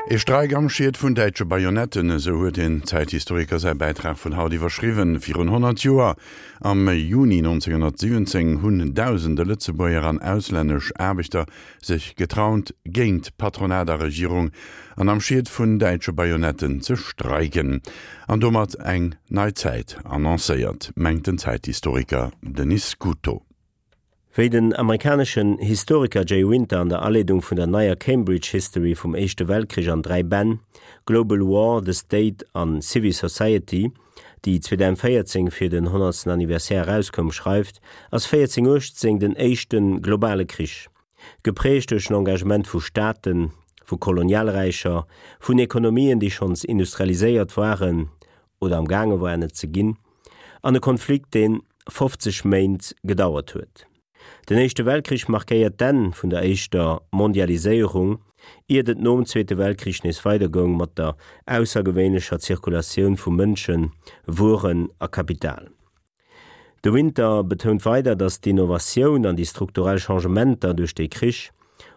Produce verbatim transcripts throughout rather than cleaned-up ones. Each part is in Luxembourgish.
E Streik am Schiet vun däitsche Bajonetten, esou huet den Zäithistoriker säi Bäitrag vun haut iwwerschriwwen. Virun honnert Joer, am Juni nonzénghonnertsiwwenzéng, hunn dausende Lëtzebuerger an auslännesch Aarbechter sech getraut, géint Patronat a Regierung an am Schiet vun däitsche Bajonetten ze streiken. An domat eng nei Zäit annoncéiert, mengt den Zäithistoriker Denis Scuto. Wéi den amerikaneschen Historiker Jay Winter an der Aleedung vun der neier Cambridge History vum Éischte Weltkrich an dräi Bänn, Global War, The State an Civil Society, déi zweedausendvéierzéng fir den honnertsten Anniversaire erauskoum, schreift, ass véierzéng uechtzéng den éischte globale Krich, geprägt duerch den Engagement vu Staaten, vu Kolonialräicher, vun Ekonomien, déi schonns industrialiséiert waren oder am gaange waren et ze ginn, an e Konflikt, dee fofzeg Méint gedauert huet. Den Éischte Weltkrich markéiert d'Enn vun der éischter Mondialiséierung, iert et nom Zweete Weltkrich nees weidergoung mat der aussergewéinlecher Zirkulatioun vu Mënschen, Wueren a Kapital. De Winter betount weider, datt d'Innovatioun an déi strukturell Changementer duerch de Krich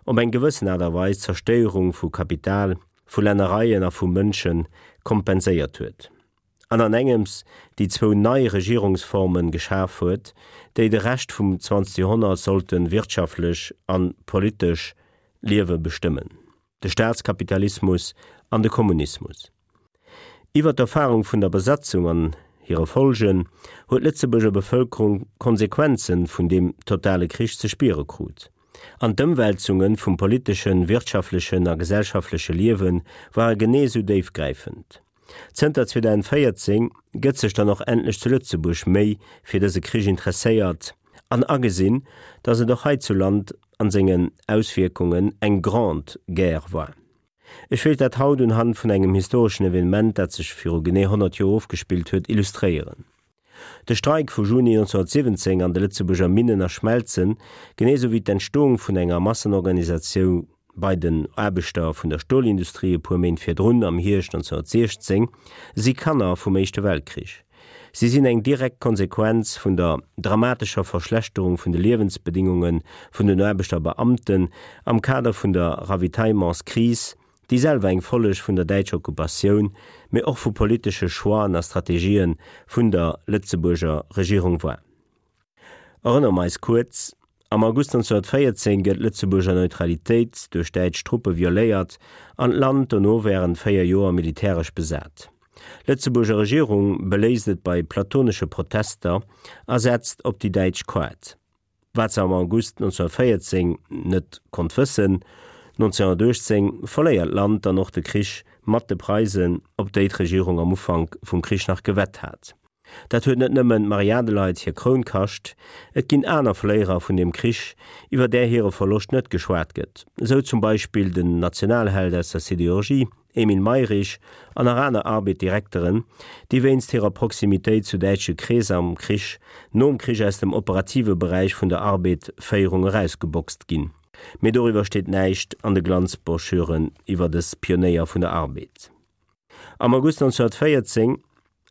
op eng gewëssen Aart a Weis d'Zerstéierung vu Kapital, vu Lännereien a vu Mënsche kompenséiert huet an an engems déi zwou nei Regierungsforme geschaf huet, déi de Rescht vum zwanzegste Joerhonnert sollte wirtschaftlech a politesch Liewe bestëmmen, de Staatskapitalismus an de Kommunismus. Iwwer d'Erfarung vun der Besatzung an hire Folgen huet d'Lëtzebuerger Bevëlkerung d'Konsequenze vun deem totale Krich ze spiere krut. An d'Ëmwälzunge vum politeschen, wirtschaftlechen a gesellschaftleche Liewe ware genee sou déifgräifend. Zënter zweedausendvéierzéng gëtt sech dann och endlech zu Lëtzebuerg méi fir dëse Krich interesséiert an agesinn, datt et och heizuland an sengen Auswierkungen eng Grande Guerre war. Ech wéilt dat haut unhand vun engem historeschen Evenement, dat sech viru genee honnert Joer ofgespillt huet, illustréieren. De Streik vu Juni nonzénghonnertsiwwenzéng an de Lëtzebuerger Minnen a Schmelzen, genee sou wéi d'Entstoung vun enger Massenorganisatioun bei den Aarbechter vun der Stolindustrie e puer Méint virdrun am Hierscht nonzénghonnertsiechzéng, si Kanner vum Éischte Weltkrich. Si sinn eng direkt Konsequenz vun der dramatescher Verschlechterung vun de Liewensbedingunge vun den Aarbechter a Beamten am Kader vun der Ravitaillementskris, déi selwer eng Folleg vun der däitscher Okkupatioun, mee och vu politesche Choixen a Strategië vun der Lëtzebuerger Regierung war. Erënnere mer eis kuerz, Am August nonzénghonnertvéierzéng gëtt d'Lëtzebuerger Neutralitéit duerch däitsch Truppe violéiert an d'Land dono wärend véier Joer militäresch besat. D'Lëtzebuerger Regierung beléisst et bei platonesche Protester a setzt op déi däitsch Kaart. Wat se am August nonzénghonnertvéierzéng net konnt wëssen, nonzénghonnertuechtzéng verléiert d'Land dann och de Krich mat de Preisen, op déi d'Regierung am Ufank vum Krich nach gewett hat. Dat huet net nëmmen d'Marie-Adelheid hir Kroun kascht, et ginn aner Verléierer vun deem Krich, iwwer där hire Verloscht net geschwat gëtt, esou zum Beispill den Nationalheld aus der Sidérurgie, Emile Mayrisch, an nach aner Arbed-Direkteren, déi wéinst hirer Proximitéit zu däitsche Kreesser am Krich, nom Krich aus dem operative Beräich vun der Arbed-Féierung erausgeboxt ginn. Mee doriwwer steet näischt an de Glanzbroschüren iwwer dës Pionéier vun der Arbed. Am August nonzénghonnertvéierzéng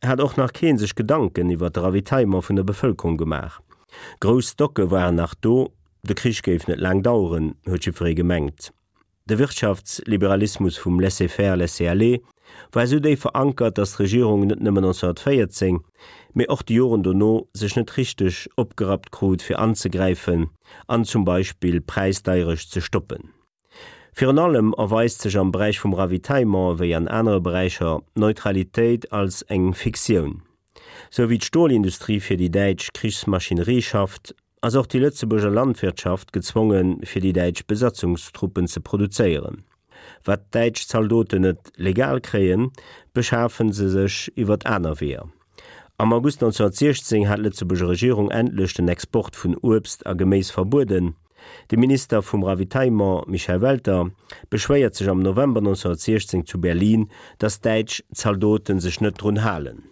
hat och nach kee sech Gedanken iwwer de Ravitaillement vun der Bevëlkerung gemaach. Grouss Stocke waren nach do, de Krich géif net laang daueren, huet jiddweree gemengt. De Wirtschaftsliberalismus vum Laissez-faire, laissez-aller war esou déif verankert, datt d'Regierung net nëmmen nonzénghonnertvéierzéng, mee och déi Joren dono sech net richteg opgerappt krut fir anzegräifen an zum Beispill d'Präisdeierecht ze stoppen. Virun allem erweist sech am Beräich vum Ravitaillement wéi an anere Beräicher d'Neutralitéit als eng Fiktioun. Sou wéi d'Stolindustrie fir déi däitsch Krichsmaschinerie schafft, ass och déi Lëtzebuerger Landwirtschaft gezwongen, fir déi däitsch Besatzungstruppen ze produzéieren. Wat däitsch Zaldoten net legal kréien, beschafe se sech iwwert aner Weeër. Am August nonzénghonnertsiechzéng hat d'Lëtzebuerger Regierung endlech den Export vun Uebst a Geméis verbueden. De Minister vum Ravitaillement Michel Welter beschwéiert sech am November nonzénghonnertsiechzéng zu Berlin, datt däitsch Zaldote sech net drun halen.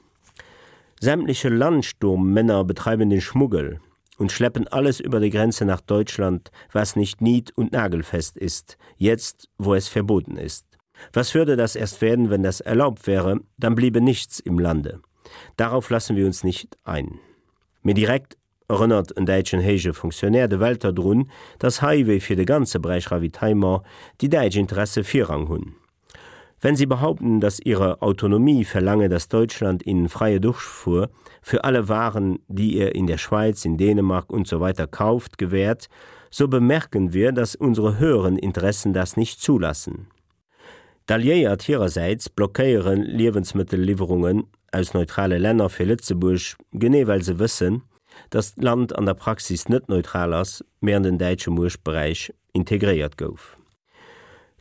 Sämtliche Landsturmmänner betreiben den Schmuggel und schleppen alles über die Grenze nach Deutschland, was nicht niet- und nagelfest ist, jetzt, wo es verboten ist. Was würde das erst werden, wenn das erlaubt wäre, dann bliebe nichts im Lande. Darauf lassen wir uns nicht ein. Mee direkt erënnert en däitschen héije Fonctionnaire de Welter drun, datt hei wéi fir de ganze Beräich Ravitaillement déi däitsch Interesse Virrang hunn. Wenn sie behaupten, dass ihre Autonomie verlange, dass Deutschland ihnen freie Durchfuhr für alle Waren, die ihr in der Schweiz, in Dänemark und so weiter kauft, gewährt, so bemerken wir, dass unsere höheren Interessen das nicht zulassen. D'Alliéiert hirersäits blockéiere Liewensmëttelliwwerungen aus neutrale Länner fir Lëtzebuerg, genee well se wëssen, dass d'Land an der Praxis net neutral ass, mee an den däitsche Muechtberäich integréiert gouf.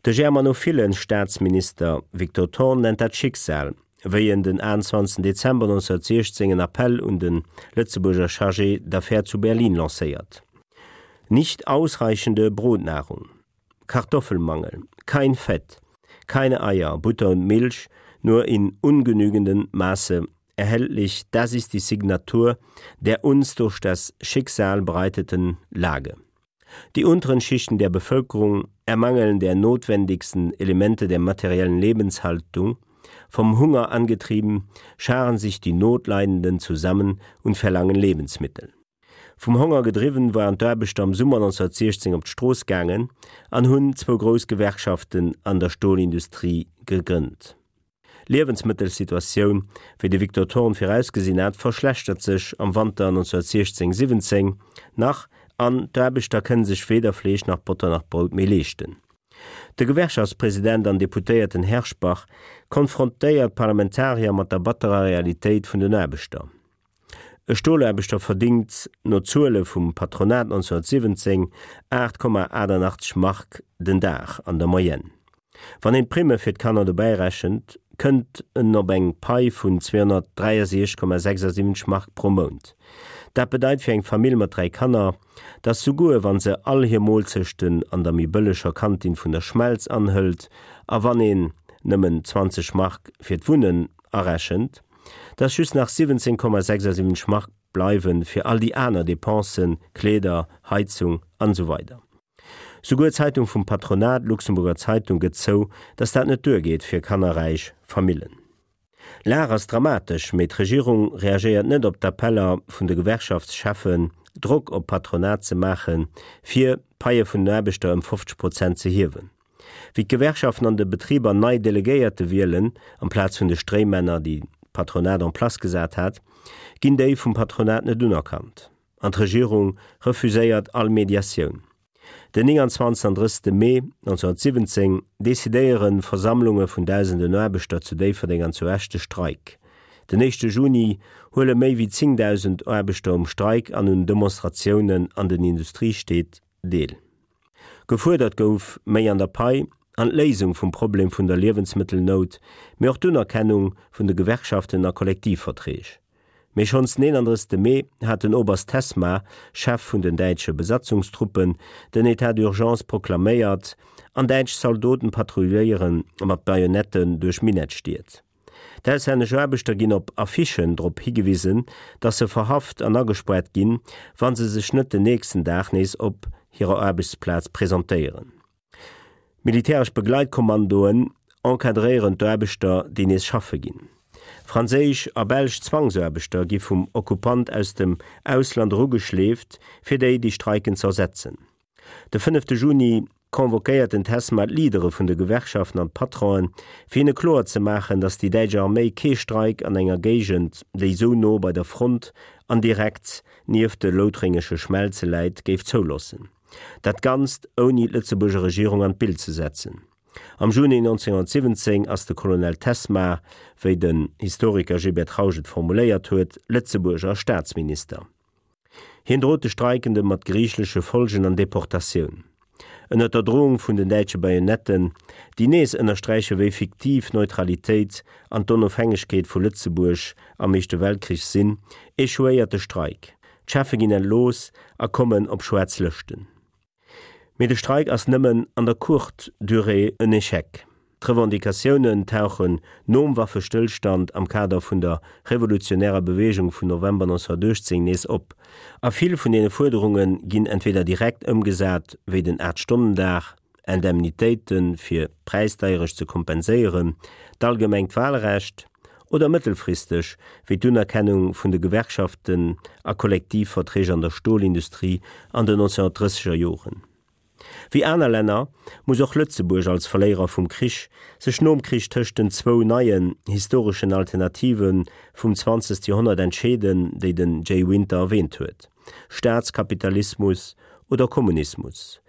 De germanophilen Staatsminister Victor Thorn nennt dat Schicksal, wéi en den achtenzwanzegsten Dezember neunzehnhundertsiechzehn en Appell un de Lëtzebuerger Chargé d'affaires zu Berlin lancéiert. Nicht ausreichende Brotnahrung, Kartoffelmangel, kein Fett, keine Eier, Butter und Milch, nur in ungenügendem Maße erhältlich, das ist die Signatur der uns durch das Schicksal bereiteten Lage. Die unteren Schichten der Bevölkerung ermangeln der notwendigsten Elemente der materiellen Lebenshaltung, vom Hunger angetrieben, scharen sich die Notleidenden zusammen und verlangen Lebensmittel. Vum Honger gedriwwen waren d'Aarbechter am Summer neunzehnhundertsiechzehn op d'Strooss gaangen an hunn zwou grouss Gewerkschaften an der Stolindustrie gegrënnt. D'Liewensmëttelsituatioun, wéi de Victor Thorn virausgesinn hat, verschlechtert sech am Wanter neunzehnhundertsiechzehn siwwenzéng nach an d'Aarbechter kënne sech weder Fleesch nach Botter nach Brout méi leeschten. De Gewerkschaftspresident an Deputéierten Herschbach konfrontéiert d'Parlamentarier mat der batterer Realitéit vun den Aarbechter. E Stolaarbechter verdingt no Zuele vum Patronat neunzehnhundertsiwwenzéng aacht Komma achtundachtzeg Mark den Dag an der Moyenne. Wann een d'Primme fir d'Kanner dobäi rechent, kënnt en op eng Pai vun zweehonnertdräiasiechzeg Komma sechsundsiwwenzeg Mark pro Mount. Dat bedeit fir eng Famill mat dräi Kanner, dass souguer wann se all hir Moolzechten an der méi bëlleger Kantin vun der Schmelz anhëlt a wann een nëmmen zwanzeg Mark fir d'Wunnen arechent, dass just nach siwwenzéng Komma sechsundsiwwenzeg Mark bleiwen fir all déi aner Depensen, Kleeder, Heizung an esou weider. Souguer d'Zeitung vum Patronat, d'Luxemburger Zeitung, gëtt zou, dass dat net duergeet fir kannerräich Famillen. D'Lag ass dramatesch, mee d'Regierung reagéiert net op d'Appeller vun de Gewerkschaftscheffen, Drock op d'Patronat ze maachen, fir d'Paie vun den Aarbechter ëm fofzeg Prozent ze hiewen. Wéi d'Gewerkschaften an de Betriber nei Delegéierte wielen, amplaz vun de Stréimänner, déi d'Patronat en place gesat hat, ginn déi vum Patronat net unerkannt. An d'Regierung refuséiert all Mediatioun. Den neunundzwanzigsten an drëssigste Mee neunzehnhundertsiwwenzéng decidéiere Versammlunge vun dausenden Aarbechter zu Déifferdeng an zu Esch de Streik. Den éischte Juni huele méi wéi zéngdausend Aarbechter um Streik an un Demonstratiounen an den Industriestied deel. Gefuerdert gouf méi an der Pai an d'Léisung vum Problem vun der Liewensmëttelnout, mee och d'Unerkennung vun de Gewerkschaften a Kollektivverträg. Mee schonns den eenandrëssigste Mee hat den Oberst Tesma, Chef vun den däitsche Besatzungstruppen, den État d'urgence proklaméiert an däitsch Zaldoten patrouilléiere mat Bajonetten duerch Minettstied. D'auslännesch Aarbechter ginn op Affichen drop higewisen, datt se verhaft an agespaart ginn, wa se sech net den nächsten Dag nees op hirer Aarbechtsplaz presentéieren. Militäresch Begleitkommandoen encadréieren d'Aarbechter, déi nees schaffe ginn. Franséisch a belsch Zwangsaarbechter gi vum Okkupant aus dem Ausland erugeschleeft, fir déi, déi streiken, z'ersetzen. De fënnefte Juni convoquéiert den Tesma d'Leadere vun de Gewerkschaften an d'Patronen, fir hinne kloer ze maachen, datt déi däitsch Arméi kee Streik an enger Géigend, déi esou no bei der Front an direkt nieft de loutrengesche Schmelze läit, géif zouloossen. Dat Ganzt ouni d'Lëtzebuerger Regierung an d'Bild ze setzen. Am Juni neunzehnhundertsiwwenzéng ass de Colonel Tesmar, wéi den Historiker Gilbert Trausch et formuléiert huet, Lëtzebuerger Staatsminister. Hien drot de Streikende mat geriichtleche Folgen an Deportatioun. Ënner der Drohung vun den däitsche Bajonetten, déi nees ënnersträiche wéi fiktiv d'Neutralitéit an d'Onofhängegkeet vu Lëtzebuerg am Éischte Weltkrich sinn, echouéiert de Streik. D'Cheffe ginn entlooss a kommen op schwaarz Lëschten. Mee de Streik ass nëmmen an der courte durée en Echec. D'Revendicatiounen tauchen nom Waffestëllstand am Kader vun der revolutionärer Beweegung vun November neunzehnhundertuechtzéng nees op, a vill vun deene Fuerderunge ginn entweder direkt ëmgesat, wéi den Aacht-Stonnen-Dag, Indemnitéite fir d'Präisdeierecht ze kompenséieren, d'allgemengt Walrecht, oder mëttelfristeg, wéi d'Unerkennung vun de Gewerkschaften a Kollektivverträg an der Stolindustrie an den neunzehnhunnertdrësseger Joren. Wéi aner Länner muss och Lëtzebuerg als Verléierer vum Krich sech nom Krich tëscht den zwou neien historeschen Alternative vum zwanzegste Joerhonnert entscheeden, déi den Jay Winter erwäänt huet, Staatskapitalismus oder Kommunismus.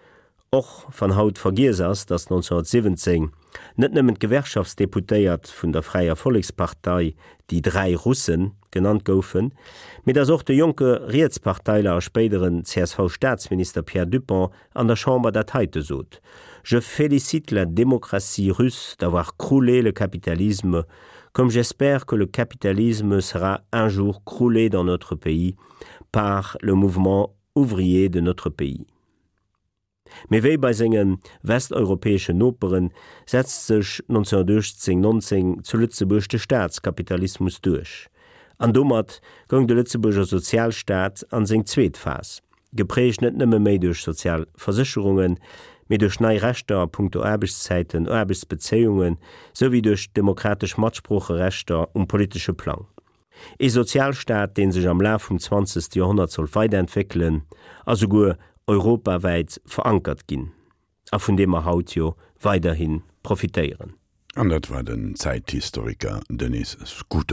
Och wann haut vergiess ass, datt nonzénhunnertsiwwenzéng net nëmmen d'Gewerkschaftsdeputéiert vun der Fräier Vollekspartei die drei Russen genannt goufen, mee datt och de jonke Rietsparteiler a spéideren C S V-Staatsminister Pierre Dupong an der Chamber dat heite sot: Je félicite la démocratie russe d'avoir croulé le capitalisme, comme j'espère que le capitalisme sera un jour croulé dans notre pays par le mouvement ouvrier de notre pays. Mee wéi bei senge westeuropäeschen Nopere setzt sech nonzénhunnertuechtzéng nonzéng zu Lëtzebuerg de Staatskapitalismus duerch. An domat goung de Lëtzebuerger Sozialstaat an seng zweet Phas, geprägt net nëmme méi duerch sozial Versécherungen, mee duerch nei Rechter a punkto Aarbechtszäiten, Aarbechtsbezéiungen, souwéi duerch demokratesch Matsproocherechter um politesche Plang. E Sozialstaat, dee sech am Laf vum zwanzegste Joerhonnert soll weiderentwéckelen a souguer europawäit verankert ginn, a vun deem mer haut jo weiderhi profitéieren. An dat war den Zäithistoriker Denis Scuto.